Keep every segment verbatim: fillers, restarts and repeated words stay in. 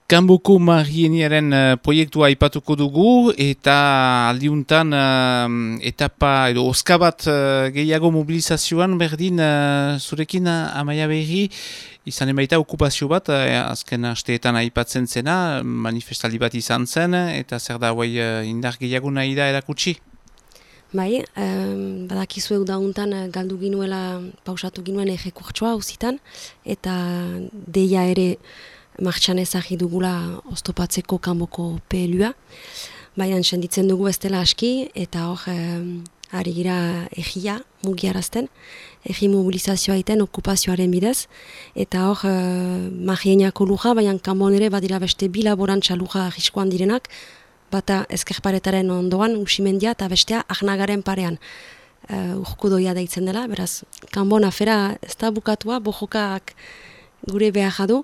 Kanboko Marieniaren uh, proiektua aipatuko dugu eta aldiuntan uh, etapa edo oska bat uh, gehiago mobilizazioan berdin uh, zurekin uh, Amaia Berri izanen baita okupazio bat uh, azken asteetan aipatzen zena, manifestaldi bat izan zen eta zer da hauai uh, indar gehiago nahi da erakutsi? Bai, um, badakizuek dauntan uh, galdu ginuela pausatu ginuen ejekurtsoa auzitan eta deia ere martxan ezagri dugula oztopatzeko kanboko P L U-a. Baina senditzen dugu ez dela aski eta hor um, ari gira egia mugiarazten, egi mobilizazioa iten okupazioaren bidez. Eta hor uh, Marieniako luja, baina kanbon ere badira beste bi laborantza luja arriskoan direnak, bata ezkerparetaren ondoan Usimendia eta bestea Arnagaren parean. Uh, urko doia deitzen dela, beraz, kanbon afera ez da bukatua, bojokak gure behar du,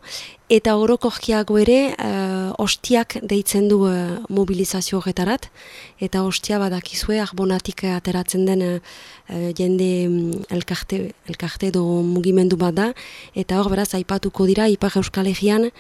eta orokorkiago ere uh, ostiak deitzen du uh, mobilizazio horretarat, eta ostia badakizue arbonatik ateratzen den uh, jende um, elkarte, elkarte do mugimendu bat da, eta hor beraz aipatuko dira Ipar Euskal Herrian uh,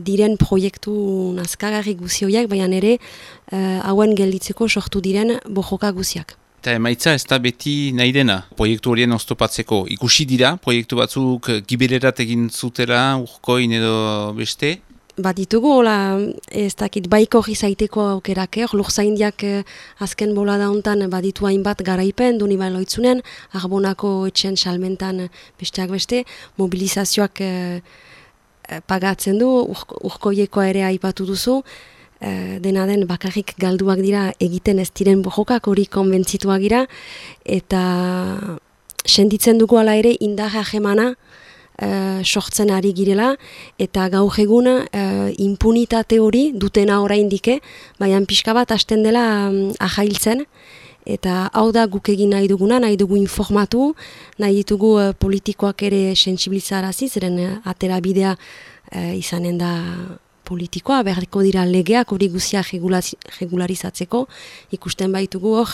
diren proiektu nazkagarri guzioiak, baina ere uh, hauen gelditzeko sortu diren bojoka guziak. Eta emaitza ez da beti nahi dena proiektu horien oztopatzeko. Ikusi dira, proiektu batzuk gibererat egin zutela, urkoin edo beste? Bat ditugu, hola, ez dakit baiko gizaiteko aukerak, eh? Lurzaindiak eh, azken bola dauntan baditu hainbat garaipen, duni baloitzunen, Arbonako etxen salmentan besteak beste, mobilizazioak eh, pagatzen du, urkoiekoa ere aipatu duzu, Uh, dena den bakarrik galduak dira egiten ez diren bojokak hori konbentzituak gira eta senditzen dugu ala ere indar hegemana uh, sortzen ari girela eta gaur egun uh, impunitate hori dutena oraindike, baina pixka bat hasten dela um, ahailtzen eta hau da guk egin nahi duguna, nahi dugu informatu, nahi ditugu uh, politikoak ere sentsibilizarazi, zeren uh, atera bidea uh, izanen da politikoa, beharko dira legeak hori guzia regularizatzeko, ikusten baitugu hor,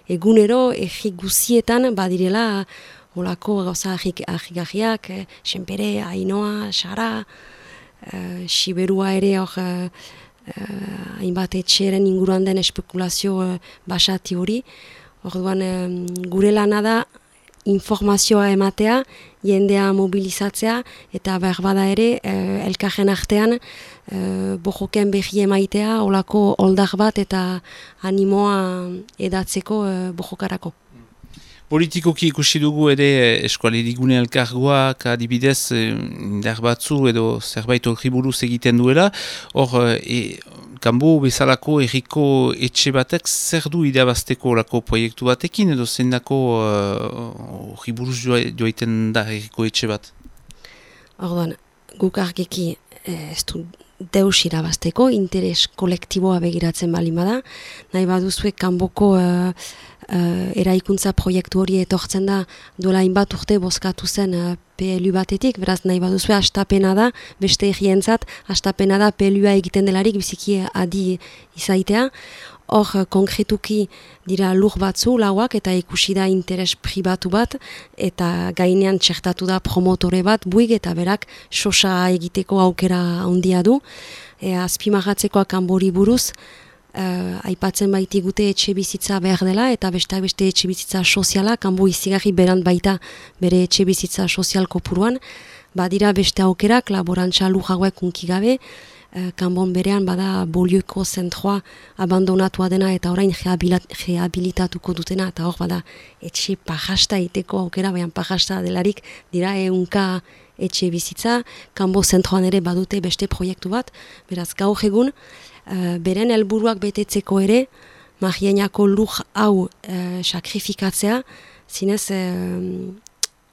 egunero, egi guzietan badirela olako gauza ahigahiak, Senpere, Ainoa, Sara, uh, Siberua ere hor, uh, hainbat etxeren inguruan den espekulazio uh, basati hori. Orduan, um, gure lana da informazioa ematea, jendea mobilizatzea, eta behar bada ere, eh, elkarren artean, eh, bojoken behi emaitea, olako oldak bat eta animoa edatzeko eh, bojokarako. Politikoki ikusi dugu ere eskualerigune elkargoak adibidez indar batzu edo zerbait horri buruz egiten duela. Hor, e, kanbo bezalako erriko etxe batek zer du idabazteko olako proiektu batekin edo zendako horri uh, buruz joaiten da erriko etxe bat? Orduan, guk argiki ez du deus irabazteko, interes kolektiboa begiratzen bali bada. Nahi baduzue kanboko uh, uh, eraikuntza proiektu hori etortzen da duela hainbat urte bozkatu zen uh, P L U batetik, beraz nahi baduzue astapena da, beste egientzat, astapena da P L U-a egiten delarik biziki adi izaitea. Hor, konkretuki dira lur batzu, lauak, eta ikusi da interes pribatu bat, eta gainean txertatu da promotore bat, buig, eta berak sosa egiteko aukera handia du. E, azpimarratzekoa kanbori buruz, Uh, aipatzen baitigute etxe bizitza behar dela eta besteak beste etxe bizitza soziala, kanbo izigarri berant baita bere etxe bizitza sozial kopuruan, badira beste aukerak, laborantza lujauek unkigabe, uh, kanbon berean bada bolioiko zentroa abandonatua dena eta orain rehabilitatuko dutena, eta hor bada etxe pajasta iteko aukera, baina pajasta delarik dira eunka etxe bizitza, kanbo zentroan ere badute beste proiektu bat, beraz gaur egun, Uh, beren helburuak betetzeko ere, Marieniako lur hau uh, sakrifikatzea, zinez uh,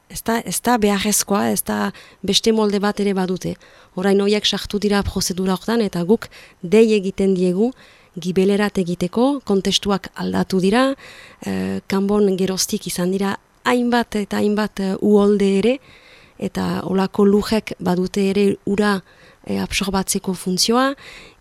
ez da, ez da beharrezkoa, ez da beste molde bat ere badute. Orain horiek sartu dira prozedura hortan eta guk dei egiten diegu gibelerat egiteko, kontestuak aldatu dira, uh, kanbon geroztik izan dira hainbat eta hainbat uh, uholde ere, eta olako lujek badute ere ura e, absorbatzeko funtzioa,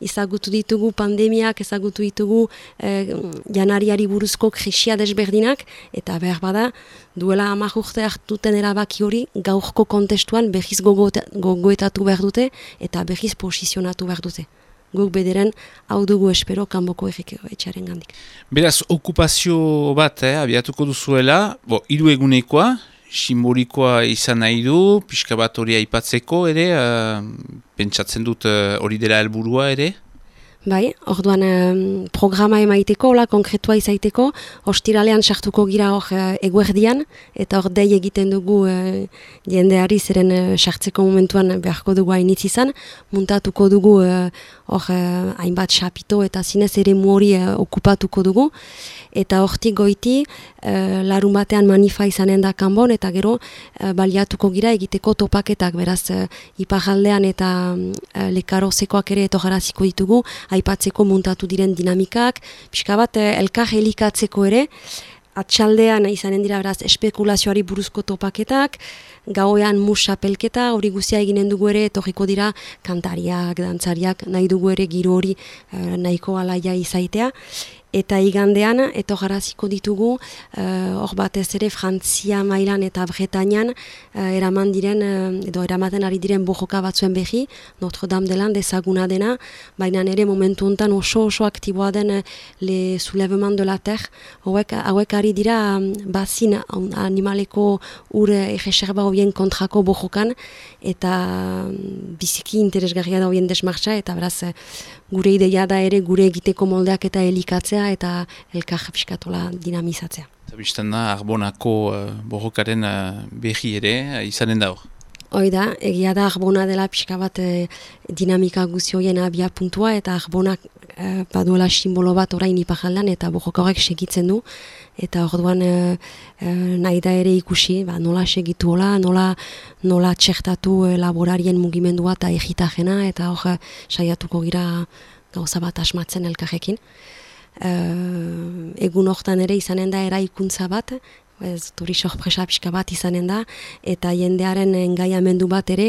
ezagutu ditugu pandemiak, ezagutu ditugu e, janariari buruzko krisia desberdinak, eta behar bada, duela hamar urte hartuten erabaki hori, gaurko kontestuan behiz gogoetatu behar dute, eta behiz posizionatu behar dute. Guk bederen hau dugu espero kanboko etxearen gandik. Beraz, okupazio bat, eh, abiatuko duzuela, bo, hiru egunekoa, simbolikoa izan nahi du, pixka bat hori aipatzeko ere, uh, pentsatzen dut hori uh, dela helburua ere? Bai, orduan um, programa emaiteko, hola, konkretua izaiteko, ostiralean sartuko gira hor uh, eguerdian, eta hor dei egiten dugu uh, jendeari zeren uh, sartzeko momentuan beharko dugu hainitz izan, muntatuko dugu uh, hor uh, hainbat xapito eta zinez ere hori uh, okupatuko dugu, eta hortik goiti uh, larun batean manifa izanen da kanbon, eta gero uh, baliatuko gira egiteko topaketak, beraz uh, iparraldean eta uh, lekarozekoak ere etojaraziko ditugu, aipatzeko muntatu diren dinamikak, pixka bat elkar elikatzeko ere, atxaldean izanen dira beraz espekulazioari buruzko topaketak, gauean mus apelketa, hori guztia eginen dugu ere, etorriko dira kantariak, dantzariak, nahi dugu ere giro hori eh, nahiko alaia izaitea, eta igandean etorraraziko ditugu hor uh, batez ere Frantzia mailan eta Bretañan uh, eraman diren uh, edo eramaten ari diren bojoka batzuen behi, Notre Dame de Land ezaguna dena, baina ere momentu hontan oso oso aktiboa den uh, le soulèvement de la terre, hauek, hauek ari dira um, bazin animaleko ur egeserba horien kontrako bojokan, eta um, biziki interesgarria da horien desmartxa, eta beraz uh, gure ideia da ere gure egiteko moldeak eta elikatzea eta elkar piskatola dinamizatzea. Zabizten da, Arbonako uh, borrokaren uh, behi ere, uh, izanen da hor? Hoi da, egia da Arbona dela pixka bat eh, dinamika guzioien abia puntua, eta Arbonak eh, baduela simbolo bat orain ipajaldan, eta borroka horrek segitzen du, eta orduan eh, eh, nahi da ere ikusi, ba, nola segitu hola, nola, nola txertatu eh, laborarien mugimendua eta egitajena, eta hor eh, saiatuko gira gauza bat asmatzen elkarrekin. Uh, egun hortan ere izanen da eraikuntza bat, ez turi sorpresa pixka bat izanen da, eta jendearen engaiamendu bat ere,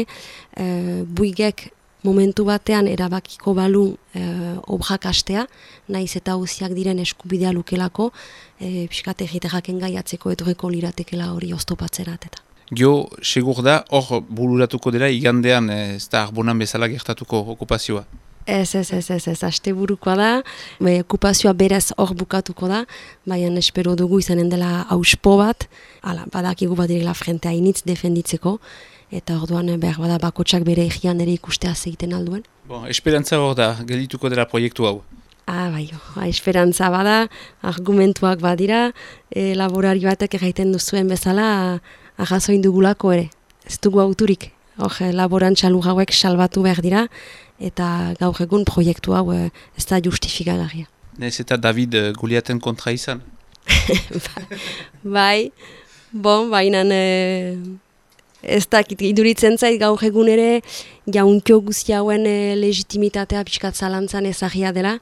uh, buigek momentu batean erabakiko balu uh, obrak astea, naiz eta uziak diren eskubidea lukelako, uh, pixkat egiterak engaiatzeko etorreko liratekela hori oztopatzerat eta. Gio, segur da, hor bururatuko dela igandean, ez da Arbonan bezala gertatuko okupazioa? Ez, ez, ez, ez, ez, aste burukoa da, be, okupazioa berez hor bukatuko da, baina espero dugu izanen dela auspo bat, ala, badakigu bat direla frente hainitz defenditzeko, eta orduan behar bada bakotsak bere egian ere ikustea zeiten alduen. Bon, esperantza hor da, geldituko dela proiektu hau? Ah, bai, oh, esperantza bada, argumentuak badira, e, laborari batek egiten duzuen bezala, arrazoin dugulako ere, ez dugu auturik, hor laborantza lujauek salbatu behar dira, eta gaur egun proiektu hau eh, ez da justifikagarria. Nez eta David uh, Goliaten kontra izan? Bai, bon, baina eh, ez da iduritzen zait gaur egun ere jauntio guzti hauen eh, legitimitatea pixkat zalantzan ezagia dela.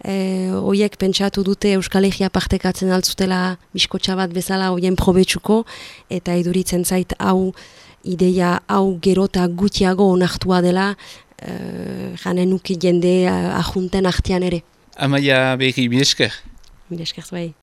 Eh, oiek pentsatu dute Euskal Herria partekatzen altzutela biskotxa bat bezala hoien probetsuko, eta iduritzen zait hau ideia hau gerota gutiago onartua dela, Uh, janen nuki jende uh, ahunten artean ere. Amaia Berri, mil esker. Mil esker, bai.